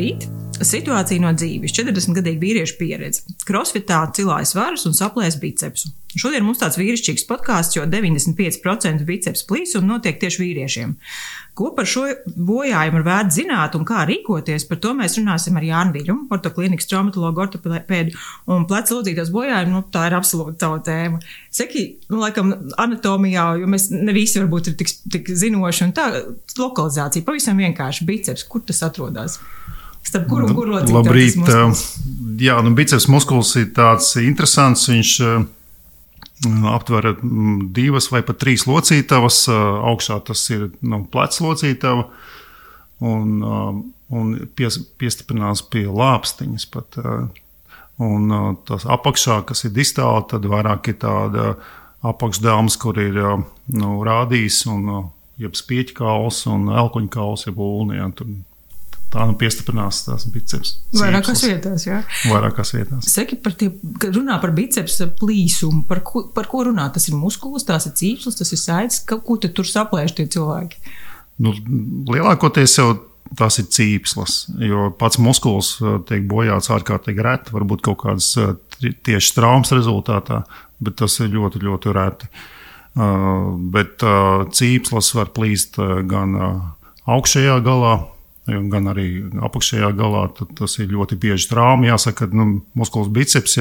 Labrīt! Situācija no dzīves. 40-gadīga vīrieša pieredze. Crossfitā cilājas svarus un saplēs bicepsu. Šodien mums tāds vīrišķīgs podkāsts, jo 95% bicepsu plīsuma notiek tieši vīriešiem. Ko par šo bojājumu ir vērts zināt un kā rīkoties, par to mēs runāsim ar Jānu Viļumu, ortoklīnikas traumatologu ortopēdu un plecu lodzītās bojājumu. Tā ir absolūti tava tēma. Saki, laikam, anatomijā, jo mēs ne visi varbūt ir tik zinoši, un tā lokalizācija pavisam vienkārši biceps, kur tas atrodas? Starp kuru un kuru locītāju? Labrīt! Jā, biceps muskulis ir tāds interesants, viņš aptver 2 vai pat 3 locītavas, augšā tas ir plecs locītava un piestiprinās pie lāpstiņas pat. Un tas apakšā, kas ir distāli, tad vairāk ir tāda apakšdāmas, kur ir rādījis un jeb spieķkauls un elkoņkauls, jeb ulni, tā piestiprinās tās biceps. Vairākās vietās, jā. Vairākās vietās. Saki, kad runā par biceps plīsumu, par ko runā? Tas ir muskulis, tās ir cīpslis, tas ir saites, ko tad tur saplēš tie cilvēki? Lielākoties jau tās ir cīpslis, jo pats muskulis tiek bojāts ārkārtīgi reti, varbūt kaut kādas tieši traumas rezultātā, bet tas ir ļoti, ļoti reti. Bet cīpslis var plīst gan augšējā galā, gan arī apakšējā galā, tad tas ir ļoti bieži trauma. Jāsaka, ka muskulis biceps,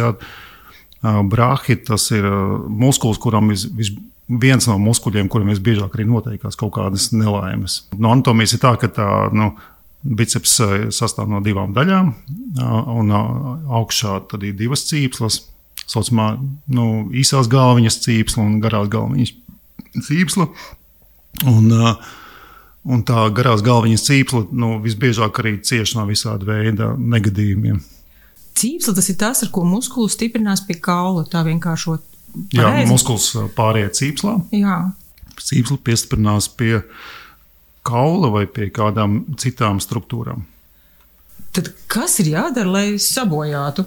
brahi, tas ir muskulis, kuram viens no muskuļiem, kuriem visbiežāk arī noteikās kaut kādas nelaimes. No anatomijas ir tā, ka biceps sastāv no 2 daļām, un augšā tad ir 2 cīpslas, saucamā īsās galviņas cīpsla un garās galviņas cīpsla. Un tā garās galviņas cīpsla visbiežāk arī cieš no visāda veida negadījumiem. Cīpsla tas ir tas, ar ko muskulis stiprinās pie kaula, tā vienkāršot. Jā, muskulis pāriet cīpslā. Jā. Cīpsla piestiprinās pie kaula vai pie kādām citām struktūrām. Tad kas ir jādara, lai sabojātu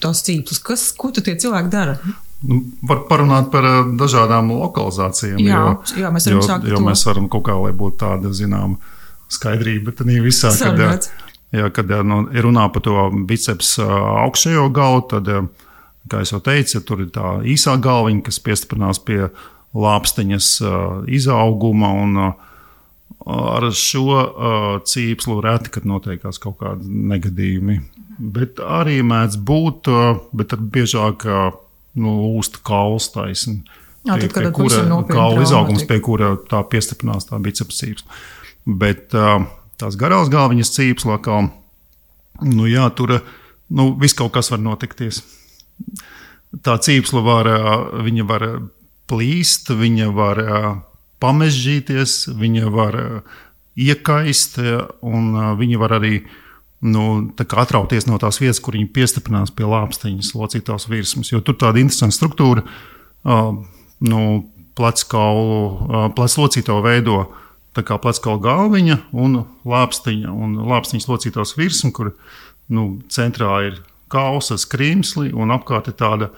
tās cīpslas? Ko tad tie cilvēki dara? Var parunāt par dažādām lokalizācijām, jā, mēs varam sākt jo mēs varam kaut kā, lai būtu tāda, skaidrība, tad visā, kad ir runā par to biceps augšējo galu, tad, kā es jau teicu, tur ir tā īsā galviņa, kas piestiprinās pie lāpstiņas izauguma, un ar šo cīpslu reti, kad notiekās kaut kādi negadījumi. Bet arī mēdz būt, bet tad biežāk lūst kauls taisni, pie kura kaula izaugums, pie kura tā piestiprinās tā biceps cīpsla. Bet tās garās galviņas cīpsla, tur viss kaut kas var notikties. Tā cīpsla viņa var plīst, viņa var pamežģīties, viņa var iekaist, un viņa var arī atrauties no tās vietas, kur viņi piestiprinās pie lāpstiņas locītās virsmas. Jo tur tāda interesanta struktūra, plecs locītavu veido tā kā pleckaula galviņa un lāpstiņa. Un lāpstiņas locītās virsma, kur centrā ir kauls ar skrimsli un apkārt ir tāda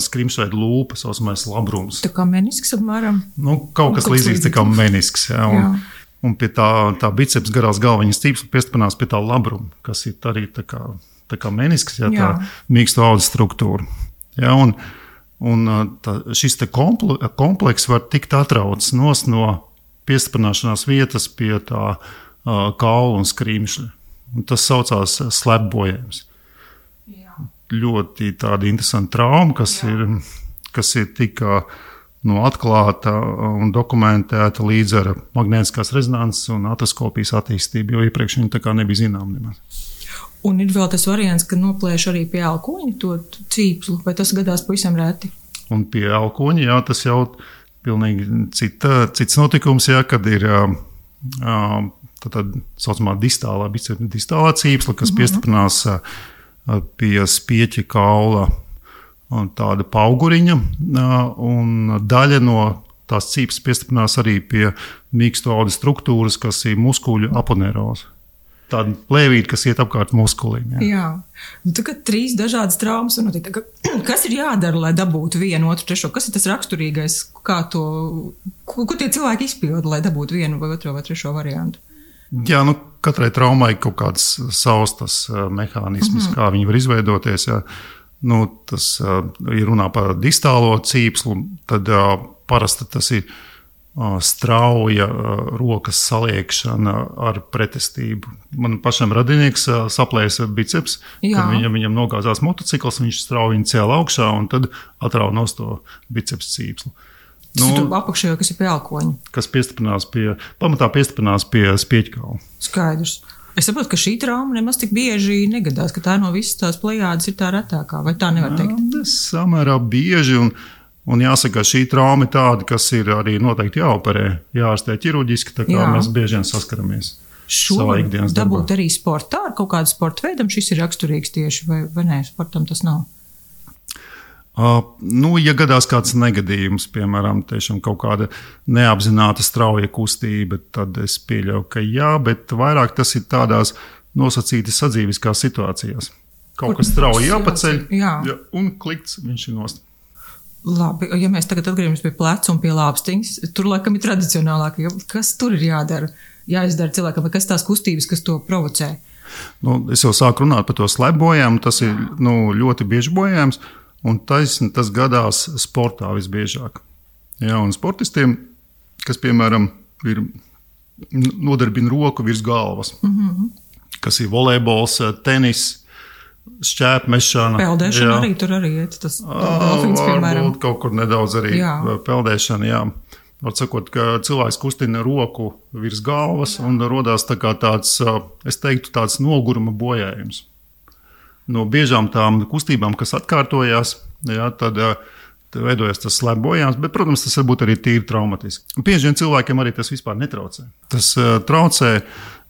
skrimsveida lūpa, saucamais labrums. Tā kā menisks apmēram? Kaut kas līdzīgs tā kā menisks, jā. Un pie tā biceps garās galviņas cīpsla piestiprinās pie tā labruma, kas ir arī tā kā menisks, tā mīksto audu struktūra. Ja, un šis kompleks var tikt atrauts no piestiprināšanās vietas pie tā kaula un skrimšļa. Un tas saucās slepbojājums. Ļoti tāda interesanta trauma, kas ir tika atklāta un dokumentēta līdz ar magnētiskās rezonanses un atroskopijas attīstību, jo iepriekš viņa tā kā nebija zinām nemaz. Un ir vēl tas variants, ka noplēš arī pie elkoņa to cīpslu, vai tas gadās pavisam reti? Un pie elkoņa, tas jau pilnīgi cits notikums, kad ir tā saucamā distālā cīpsla, kas piestiprinās pie spieķa kaula tāda pauguriņa, un daļa no tās cīpslas piestiprinās arī pie mīksto audu struktūras, kas ir muskuļu aponeroze. Tāda plēvīte, kas iet apkārt muskuliem. Jā. Tagad 3 dažādas traumas. Kas ir jādara, lai dabūtu 1, 2, 3? Kas ir tas raksturīgais? Ko tie cilvēki izpilda, lai dabūtu 1 vai 2 vai 3 variantu? Jā, katrai traumai kaut kāds savs tas mehānisms, kā viņi var izveidoties. Jā. Tas ir runā par distālo cīpslu, tad parasti tas ir strauja rokas saliekšana ar pretestību. Man pašam radinieks saplēsa biceps, kad viņam nogāzās motocikls, viņš strauji viņu cēla augšā un tad atrauja nost to biceps cīpslu. Apakšējā, kas ir pie elkoņa. Kas pamatā piestiprinās pie spieķkaula. Skaidrs. Es saprotu, ka šī trauma nemaz tik bieži negadās, ka tā no visas tās plejādes ir tā retākā, vai tā nevar teikt? Samērā bieži, un jāsaka, šī trauma ir tāda, kas ir arī noteikti jāoperē, jāārstē ķirurģiski, tā kā mēs bieži vien saskaramies savā ikdienas darbā. Dabūt arī sportā ar kaut kādu sporta veidam, šis ir raksturīgs tieši, vai nē, sportam tas nav? Ja gadās kāds negadījums, piemēram, tiešām kaut kāda neapzināta strauja kustība, tad es pieļauju, ka jā, bet vairāk tas ir tādās nosacītas sadzīviskās situācijās. Kaut kas strauji jāpaceļ, un klikts viņš ir nost. Labi, ja mēs tagad atgriežamies pie pleca un pie lāpstiņas, tur laikam ir tradicionālāk, kas tur ir jāizdara cilvēkam, kas tās kustības, kas to provocē? Es jau sāku runāt par to slēpbojām, tas ir ļoti bieži bojājums. Un tas gadās sportā visbiežāk. Jā, un sportistiem, kas, piemēram, nodarbina roku virs galvas, kas ir volejbols, tenis, šķēpmešana. Peldēšana arī tur arī iet. Tas delfīns, piemēram. Varbūt kaut kur nedaudz arī peldēšana, jā. Var sakot, ka cilvēks kustina roku virs galvas un rodās tā kā tāds, es teiktu, tāds noguruma bojājums. No biežām tām kustībām, kas atkārtojās, tad veidojas tas slēpbojājums, bet, protams, tas var būt arī tīri traumatiski. Bieži vien cilvēkiem arī tas vispār netraucē. Tas traucē,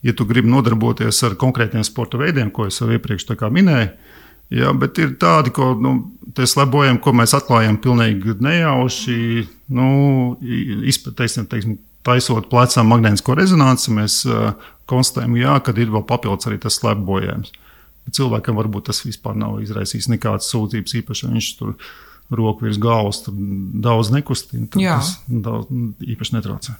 ja tu gribi nodarboties ar konkrētiem sporta veidiem, ko es jau iepriekš tā kā minēju, bet ir tādi, ko tie slēpbojājumi, ko mēs atklājam pilnīgi nejauši, teiksim, taisot plecām magnētisko rezonanci, mēs konstatējam, ka ir vēl papildus arī tas slēpbojājums. Cilvēkam varbūt tas vispār nav izraisījis nekādas sūdzības, īpaši viņš tur roku virs galvas daudz nekustina, tad tas daudz īpaši netraucē.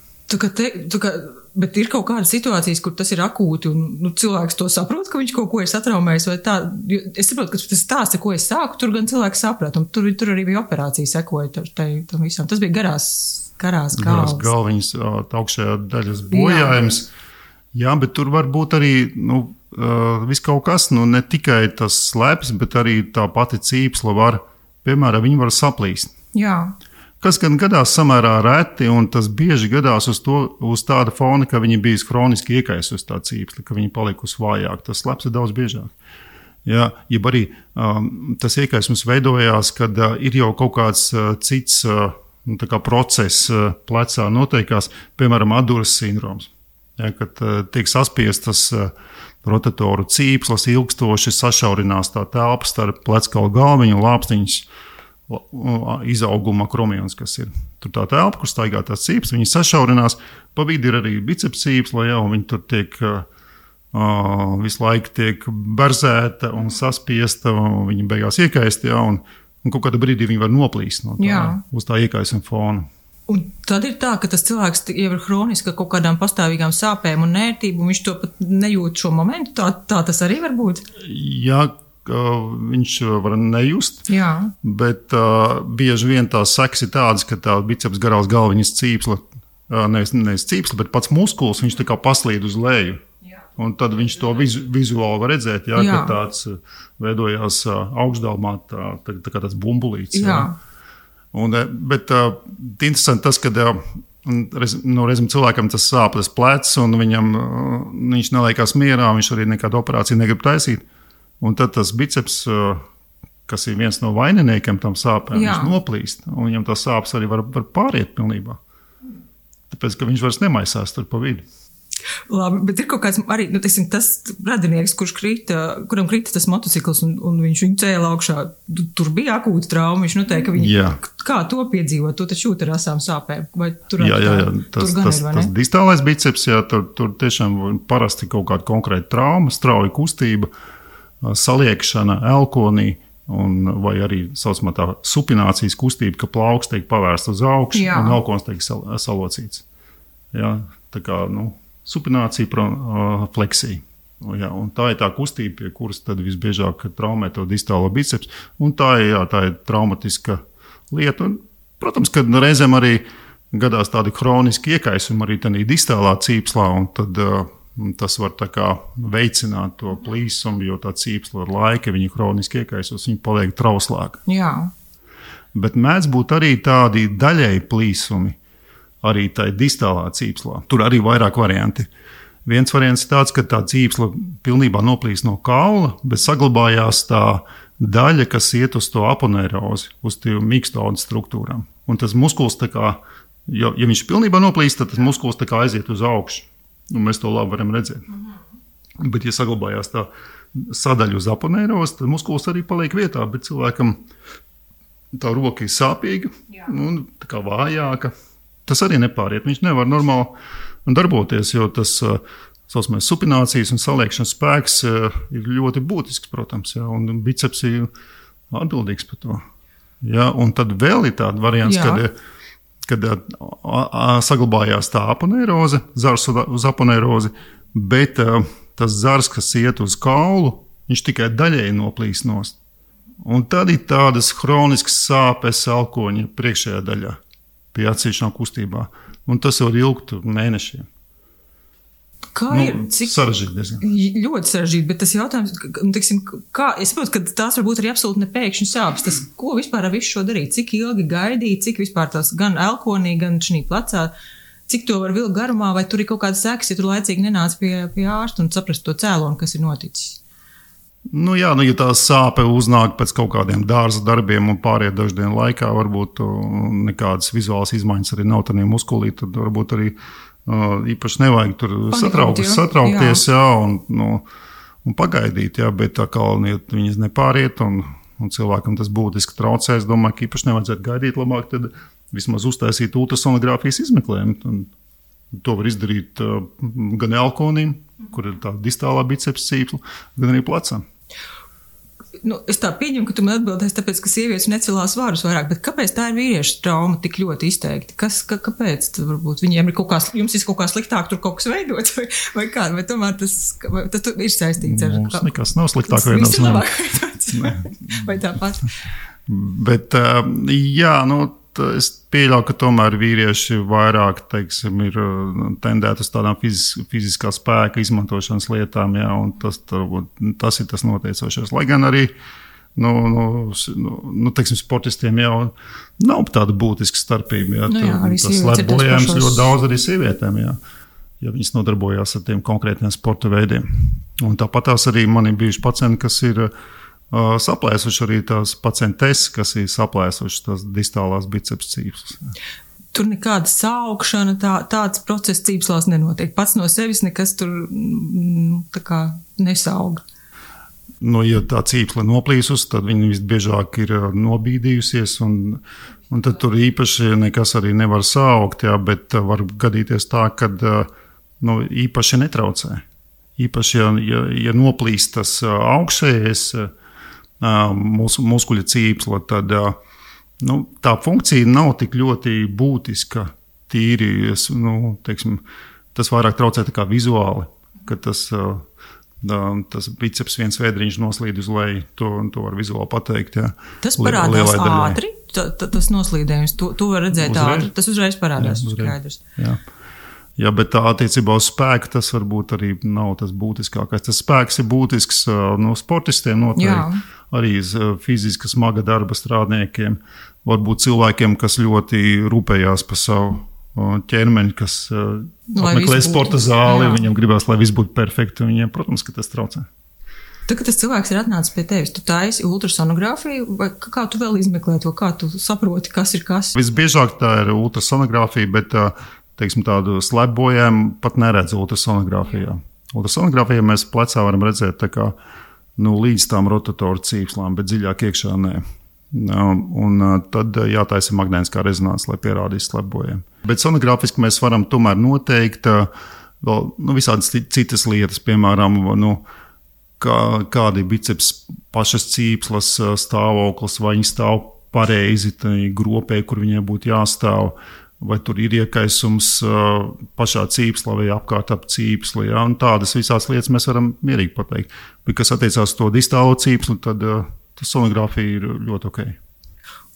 Bet ir kaut kādas situācijas, kur tas ir akūti un cilvēks to saprot, ka viņš kaut ko ir satraumējis vai tā. Es saprotu, ka tas stāsts, ko es sāku, tur gan cilvēks saprat, un tur arī bija operācija sekoja tam visam. Tas bija garās galviņas augšējā daļas bojājums. Jā, bet tur var būt arī, viss kaut kas, ne tikai tas slēpes, bet arī tā pati cīpsla var, piemēram, viņi var saplīst. Jā. Kas gan gadās samērā reti, un tas bieži gadās uz tāda fona, ka viņi bijis hroniski iekaisusi tā cīpsla, ka viņi palikusi vājāk. Tas slēpes ir daudz biežāk. Jā, jeb arī tas iekaisums veidojās, kad ir jau kaut kāds cits process plecā noteikās, piemēram, atduras sindroms. Ja, kad tiek saspiestas rotatoru cīpslas, ilgstoši sašaurinās tā telpa starp pleckaula galviņu un lāpstiņas izauguma kromjons, kas ir. Tur tā telpa, kur staigā tās cīpslas, viņi sašaurinās, pa vidu ir arī biceps cīpsla, un viņi tur tiek visu laiku tiek berzēta un saspiesta, un viņi beigās iekaist, un kaut kādā brīdī viņi var noplīst no tā, uz tā iekaisuma fona. Un tad ir tā, ka tas cilvēks jau ir hroniski kaut kādām pastāvīgām sāpēm un nērtību, un viņš to pat nejūt šo momentu. Tā tas arī var būt? Jā, viņš var nejust, bet bieži vien tās sekas ir tādas, ka tā biceps garās galviņas cīpsla, nevis cīpsla, bet pats muskulis, viņš tā kā paslīd uz leju. Un tad viņš to vizuāli var redzēt, ka tāds veidojās augšdalmā, tā kā tāds bumbulīts. Bet interesanti tas, ka reizēm cilvēkam tas sāp tas plecs, un viņš neliekās mierā, viņš arī nekādu operāciju negrib taisīt. Un tad tas biceps, kas ir viens no vaininiekiem tam sāpēm, viņš noplīst, un viņam tās sāpes arī var pāriet pilnībā. Tāpēc, ka viņš vairs nemaisās tur pa vidu. Labi, bet ir kaut kāds arī, tas radinieks, kuram krita tas motocikls un viņš viņu cēla augšā. Tur bija akūta trauma, viņš noteikti, ka viņi kā to piedzīvot, to taču jūt ar asām sāpēm. Vai tur tas distālais biceps, tur tiešām parasti kaut kāda konkrēta trauma, strauja kustība, saliekšana elkonī, vai arī saucamā tā supinācijas kustība, ka plauks tiek pavērsts uz augšu un elkons tiek salocīts. Jā, tā kā, supinācija, fleksija. Jā, un tā ir tā kustība, pie kuras tad visbiežāk traumē to distālo bicepsu. Un tā ir traumatiska lieta. Un, protams, ka reizēm arī gadās tādi hroniski iekaisumi arī tādā distālā cīpslā, un tad tas var tā kā veicināt to plīsumu, jo tā cīpsla ar laika, viņa hroniski iekaisos, viņa paliek trauslāka. Jā. Bet mēdz būt arī tādi daļēji plīsumi, arī tai distālā cīpslā. Tur arī vairāk varianti. Viens variants ir tāds, ka tā cīpsla pilnībā noplīst no kaula, bet saglabājās tā daļa, kas iet uz to aponeirozi, uz tiem mīkstaudu struktūrām. Un tas muskulis tā kā, ja viņš pilnībā noplīst, tad tas muskulis tā kā aiziet uz augšu. Un mēs to labi varam redzēt. Bet, ja saglabājās tā sadaļa uz aponeirozi, tad muskulis arī paliek vietā, bet cilvēkam tā roka ir sāpīga un tā kā vājāka. Tas arī nepāriet. Viņš nevar normāli darboties, jo tas saucamais supinācijas un saliekšanas spēks ir ļoti būtisks, protams, jā, un biceps ir atbildīgs par to. Jā, un tad vēl ir tāda variants, kad saglabājās tā aponeiroze, zars uz aponeirozi, bet tas zars, kas iet uz kaulu, viņš tikai daļēji noplīst nost. Un tad ir tādas hroniskas sāpes alkoņa priekšējā daļā pie atsevišķām kustībā. Un tas var ilgt mēnešiem. Kā ir? Sarežģīti diezgan. Ļoti sarežģīti, bet tas jautājums, teiksim, es saprotu, ka tās varbūt arī absolūti nepēkšņi sāpes. Tas, ko vispār ar visu šo darīt? Cik ilgi gaidīt, cik vispār tās gan elkonī, gan šī plecā, cik to var vilkt garumā, vai tur ir kaut kāda sekas, ja tur laicīgi nenāc pie ārsta un saprast to cēloni, kas ir noticis? Ja tā sāpe uznāk pēc kaut kādiem dārza darbiem un pāriet dažu dienu laikā, varbūt nekādas vizuālas izmaiņas arī nav tādā muskulī, tad varbūt arī īpaši nevajag tur satraukties un pagaidīt, bet tā kā viņas nepāriet un cilvēkam tas būtiski traucē, es domāju, ka īpaši nevajadzētu gaidīt, labāk tad vismaz uztaisīt ultrasonogrāfijas izmeklējumu. To var izdarīt gan elkonim, kur ir tā distālā bicepsa cīpsla, gan arī plecam. Es tā pieņemu, ka tu man atbildēsi, tāpēc, ka sievietes necelās svarus vairāk, bet kāpēc tā ir vīriešu trauma tik ļoti izteikti? Kāpēc? Varbūt viņiem ir jums ir kaut kā sliktāk, tur kaut kas veidots, vai kā? Vai tomēr tas ir saistīts ar... Mums nekas nav sliktāk veidots. Viss ir labāk veidots. Vai tāpat? Bet, es pieļauju, ka tomēr vīrieši vairāk, teiksim, ir tendēti uz tādām fiziskā spēka izmantošanas lietām, un tas ir tas noteicošais. Lai gan arī, teiksim, sportistiem jau nav tāda būtiska starpība. Tas slēpbojājums ļoti daudz arī sievietēm, ja viņas nodarbojās ar tiem konkrētiem sporta veidiem. Un tāpat tās arī man ir bijuši pacienti, kas ir saplēsuši arī tās pacientes, kas ir saplēsuši tās distālās biceps cīpslas. Tur nekāda saukšana, tāds process cīpslās nenotiek. Pats no sevis nekas tur tā kā nesauga. Ja tā cīpsla noplīsus, tad viņa visbiežāk ir nobīdījusies, un tad tur īpaši nekas arī nevar saukt, bet var gadīties tā, kad īpaši netraucē. Īpaši, ja noplīst tas augšējais muskuļa cīpsla, tad tā funkcija nav tik ļoti būtiska. Tīri, teiksim, tas vairāk traucē tā kā vizuāli, ka tas biceps viens vēdriņš noslīd uz leju, to var vizuāli pateikt. Jā. Tas parādās ātri, tas noslīdējums, to var redzēt ātri, tas uzreiz parādās. Skaidrs. Jā, bet attiecībā uz spēku tas varbūt arī nav tas būtiskākais. Tas spēks ir būtisks sportistiem noteikti, arī fiziski smaga darba strādniekiem, varbūt cilvēkiem, kas ļoti rūpējās par savu ķermeni, kas apmeklē sporta zāli, viņam gribās, lai viss būtu perfekti, viņiem, protams, ka tas traucē. Tad, kad tas cilvēks ir atnācis pie tevis, tu taisi ultrasonogrāfiju, vai kā tu vēl izmeklē to, kā tu saproti, kas ir kas? Visbiežāk tā ir ultrasonogrāfija, bet teiksim, tādu slēpbojumu pat neredz ultrasonogrāfijā. Ultrasonogrāfijā mēs plecā varam redzēt tā kā, līdz tām rotatoru cīpslām, bet dziļāk iekšā nē. Un tad jātaisa magnētiskā rezonanse, lai pierādītu slēpbojumu. Bet sonogrāfiski mēs varam tomēr noteikt vēl visādas citas lietas, piemēram, kādi biceps pašas cīpslas stāvoklis, vai viņi stāv pareizi gropē, kur viņiem būtu jāstāv. vai tur ir iekaisums pašā cīpslā vai apkārt ap cīpsli. Ja? Un tādas visās lietas mēs varam mierīgi pateikt. Bet, kas attiecās to distālo cīpsli, tad sonogrāfija ir ļoti ok.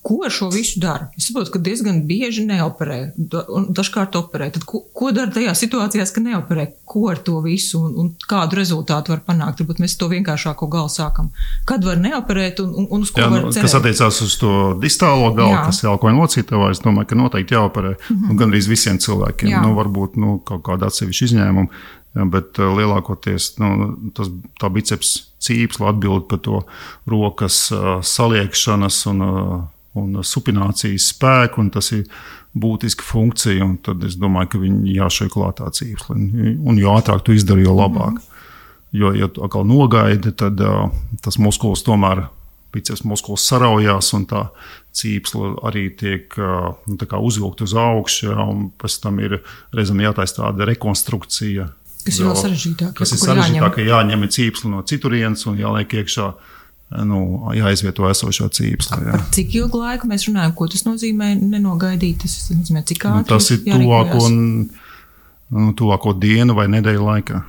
Ko ar šo visu dara? Es saprotu, ka diezgan bieži neoperē, un dažkārt operē. Tad ko dara tajā situācijās, ka neoperē? Ko ar to visu un kādu rezultātu var panākt? Varbūt mēs to vienkāršāko galu sākam. Kad var neoperēt un uz ko var cerēt? Kas attiecās uz to distālo galu, kas ir elkoņa locītavā, es domāju, ka noteikti jāoperē. Gandrīz visiem cilvēkiem. Varbūt kaut kāda atsevišķa izņēmuma. Bet lielākoties tā biceps cīpsla atbild par to rokas saliekšanas un supinācijas spēku, un tas ir būtiska funkcija, un tad es domāju, ka viņi jāšai klātā cīpsli. Un jo ātrāk tu izdari, jo labāk. Jo, ja tu atkal nogaidi, tad tas muskulis tomēr, biceps muskulis saraujās, un tā cīpsla arī tiek tā kā uzvilkt uz augšu, un pēc tam ir reizēm jātaisa tāda rekonstrukcija. Kas ir vēl sarežģītāk. Kas ir sarežģītāk, ka jāņem cīpsli no citurienes un jāliek iekšā, jāizvieto esošā cīpsla. Par cik ilgu laiku mēs runājam, ko tas nozīmē nenogaidīt? Tas nozīmē, cik ātri tas ir tuvāko dienu vai nedēļu laikā.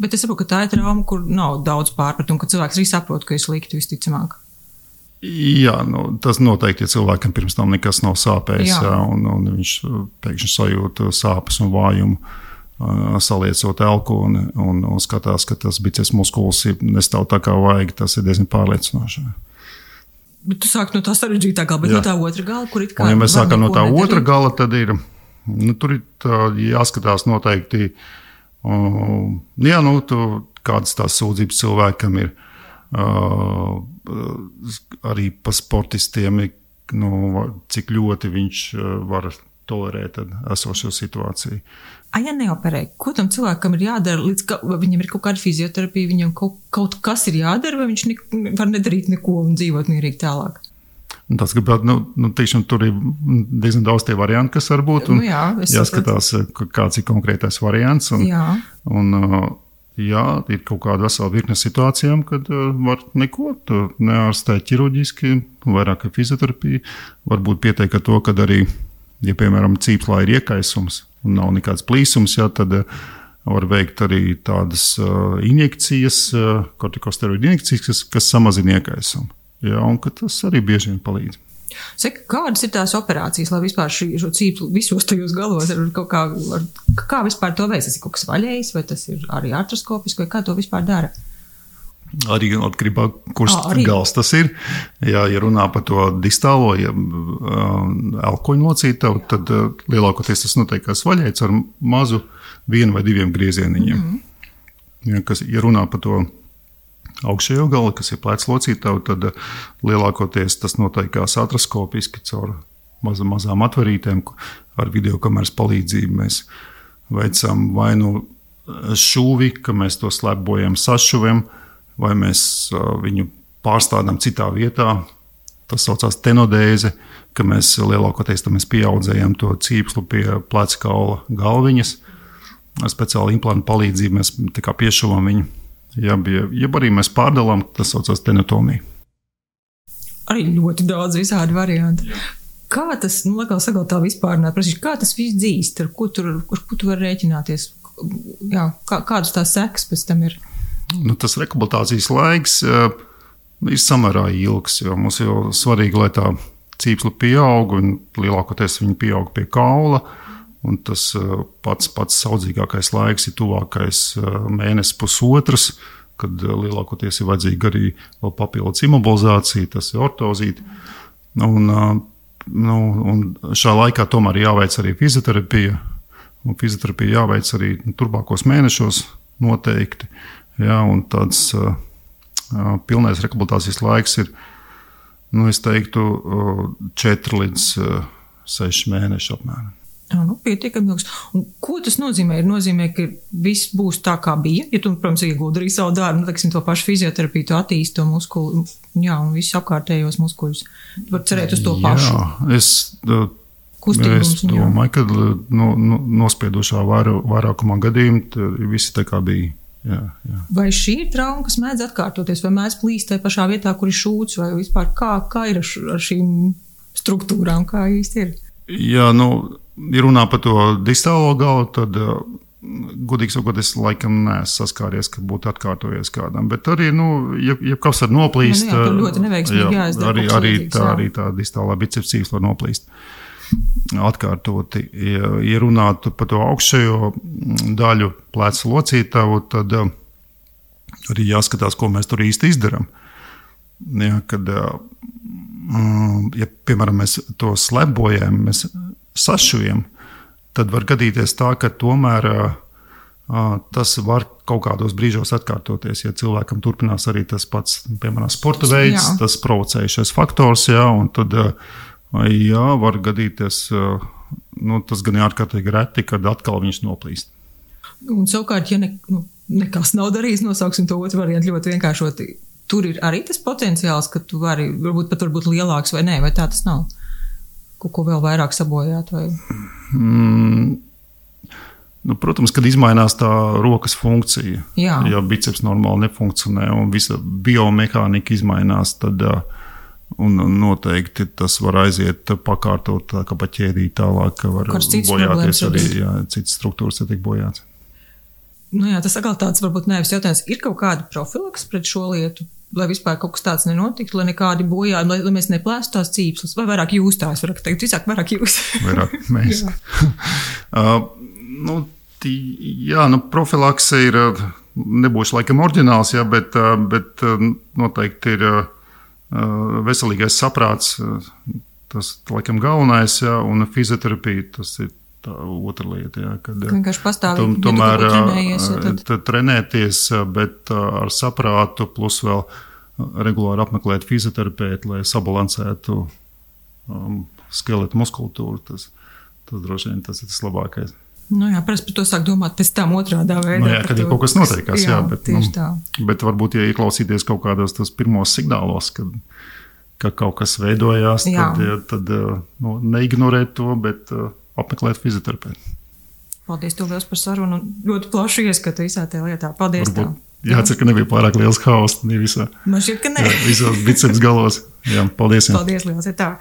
Bet es saprotu, ka tā ir trauma, kur nav daudz pārpratumu, ka cilvēks arī saprot, ka ir slikti visticamāk. Jā, tas noteikti, ja cilvēkam pirms tam nekas nav sāpējis, un viņš pēkšņi sajūt sāpes un vājumu, saliecot elkoni un skatās, ka tas biceps muskulis nestāv tā kā vajag, tas ir diezgan pārliecinoši. Bet tu sāki no tā sarežģītākā, bet no tā otra gala, kur it kā... Un, ja mēs sākam no tā otra gala, tad ir, tur ir jāskatās noteikti, kādas tās sūdzības cilvēkam ir, arī pa sportistiem, cik ļoti viņš var tolerēt esošo situāciju. Ja neoperē, ko tam cilvēkam ir jādara, viņam ir kaut kāda fizioterapija, viņam kaut kas ir jādara, vai viņš var nedarīt neko un dzīvot mierīgi tālāk? Tas, tiešām tur ir diezgan daudz tie varianti, kas var būt, un jāskatās, kāds ir konkrētais variants. Ir kaut kāda vesela virkne situācijām, kad var neko neārstēt ķirurģiski, vairāk fizioterapija. Varbūt pietiek ar to, kad arī, ja, piemēram, cīpslā ir iekaisums un nav nekāds plīsums, tad var veikt arī tādas injekcijas, kortikosteroīdu injekcijas, kas samazina iekaisumu. Un tas arī bieži vien palīdz. Saka, kādas ir tās operācijas, lai vispār šo cīpslu visos tajos galos kā vispār to veids? Tas ir kaut kas vaļējs, vai tas ir arī artroskopiski, vai kā to vispār dara? Arī atkarībā, kurš gals tas ir. Ja runā par to distālo, elkoņu locītavu, tad lielākoties tas notiek kā vaļējs ar mazu 1 vai 2 griezieniņiem. Ja runā par to augšējo galu, kas ir plecs locītavu, tad lielākoties tas notiek kā artroskopiski caur mazām atverītēm, ar videokameras palīdzību mēs veicam vai šūvi, ka mēs to slēpbojam sašuviem, vai mēs viņu pārstādām citā vietā. Tas saucās tenodēze, ka mēs lielākoties pieaudzējam to cīpslu pie pleca kaula galviņas. Ar speciālu implantu palīdzību mēs tā kā piešuvam viņu. Jeb arī mēs pārdalām, tas saucās tenotomija. Arī ļoti daudz visādi varianti. Kā tas, tā vispārināt, kā tas viss dzīst, ar ko tu var rēķināties? Kādas tās sekas pēc tam ir? Tas rehabilitācijas laiks ir samērā ilgs, jo mums jau svarīgi, lai tā cīpsla pieaug, un lielākoties viņa pieaug pie kaula, un tas pats saudzīgākais laiks ir tuvākais mēnesis pusotrs, kad lielākoties ir vajadzīga arī vēl papildus imobilizācija, tas ir ortozīte. Un šā laikā tomēr jāveic arī fizioterapija, un fizioterapija jāveic arī turpākos mēnešos noteikti. Un tāds pilnais rehabilitācijas laiks ir, es teiktu, 4 līdz 6 mēneši apmēram. Pietiekami ilgs. Un ko tas nozīmē? Nozīmē, ka viss būs tā, kā bija. Ja tu, protams, iegūdi arī savu darbu, to pašu fizioterapiju, tu attīsti to muskuli, un visus apkārtējos muskuļus. Tu var cerēt uz to pašu. Es domāju, ka nospiedošā vairākumā gadījumu visi tā kā bija. Jā. Vai šī ir trauma, kas mēdz atkārtoties, vai mēdz plīst tajā pašā vietā, kur ir šūts, vai vispār kā ir ar šīm struktūrām, kā īsti ir? Jā, ja runā par to distālo galu, tad godīgi sakot, es laikam neesmu saskāries, ka būtu atkārtojies kādam. Bet arī, ja kas var noplīst, tur ļoti neveiksmīgi jāizdara. Arī tā distālā biceps cīvs var noplīst atkārtoti. Ja runātu par to augšējo daļu pleca locītavu, tad arī jāskatās, ko mēs tur īsti izdaram. Ja, kad, ja, piemēram, mēs to slebojam, mēs sašujam, tad var gadīties tā, ka tomēr tas var kaut kādos brīžos atkārtoties. Ja cilvēkam turpinās arī tas pats, piemēram, sporta veids, tas provocējušais faktors, un tad var gadīties, tas gan ārkārtīgi reti, kad atkal viņš noplīst. Un savukārt, ja nekas nav darījis, nosauksim to otru variantu ļoti vienkāršoti, tur ir arī tas potenciāls, ka tu vari, varbūt lielāks vai nē, vai tā tas nav? Ko vēl vairāk sabojāt? Vai? Protams, kad izmainās tā rokas funkcija, ja biceps normāli nefunkcionē un visa biomehānika izmainās, tad noteikti tas var aiziet pakārtot tā kā pa ķēdī tālāk, ka var bojāties arī, citas struktūras tiek bojāts. Tas atkal tāds varbūt nevis jautājums. Ir kaut kāda profilaks pret šo lietu? Lai vispār kaut kas tāds nenotiktu, lai nekādi bojājumi, lai mēs neplēstu tās cīpslas, vai vairāk jūs tās varat teikt, visāk vairāk jūs. Vairāk mēs. Profilakse ir, nebūšu laikam oriģināls, bet noteikti ir veselīgais saprāts, tas laikam galvenais, un fizioterapija, tas ir tā otra lieta, kad vienkārši pastāvīgi tomēr trenēties, bet ar saprātu, plus vēl regulāri apmeklēt fizioterapeitu, lai sabalansētu skeletu muskultūru. Tas droši vien tas ir tas labākais. Parasti par to sāk domāt pēc tam otrādā veidā. Kad ir kaut kas notiekās, bet, bet varbūt, ja ieklausīties kaut kādos tos pirmos signālos, ka kaut kas veidojās, tad neignorēt to, bet apmeklēt fizioterapeitu. Paldies tev liels par sarunu. Ļoti plaši ieskatu visā tajā lietā. Paldies tev. Jācer, ka nebija pārāk liels haoss. Man šķiet, ka ne. Visos biceps galos. Paldies. Paldies liels. Tā.